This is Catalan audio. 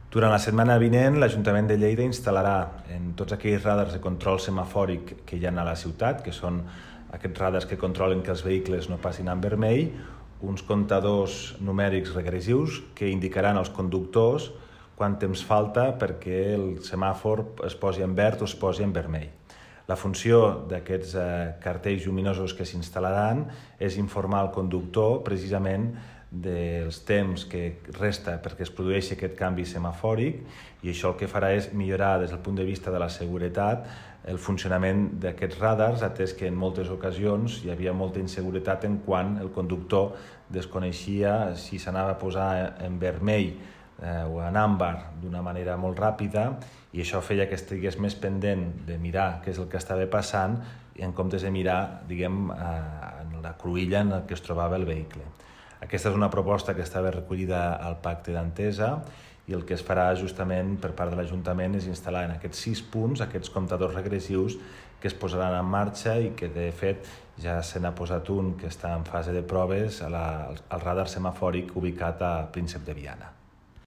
Durant la setmana vinent, l'Ajuntament de Lleida instal·larà en tots aquells radars de control semafòric que hi ha a la ciutat, que són aquests radars que controlen que els vehicles no passin en vermell, uns comptadors numèrics regressius que indicaran als conductors quant temps falta perquè el semàfor es posi en verd o es posi en vermell. La funció d'aquests cartells lluminosos que s'instal·laran és informar el conductor precisament dels temps que resta perquè es produeixi aquest canvi semafòric, i això el que farà és millorar des del punt de vista de la seguretat el funcionament d'aquests radars, atès que en moltes ocasions hi havia molta inseguretat en quan el conductor desconeixia si s'anava a posar en vermell o en àmbar d'una manera molt ràpida, i això feia que estigués més pendent de mirar què és el que estava passant en comptes de mirar, diguem, en la cruïlla en què es trobava el vehicle. Aquesta és una proposta que estava recollida al Pacte d'Entesa, i el que es farà justament per part de l'Ajuntament és instal·lar en aquests 6 punts aquests comptadors regressius que es posaran en marxa i que de fet ja se n'ha posat un que està en fase de proves al radar semafòric ubicat a Príncep de Viana.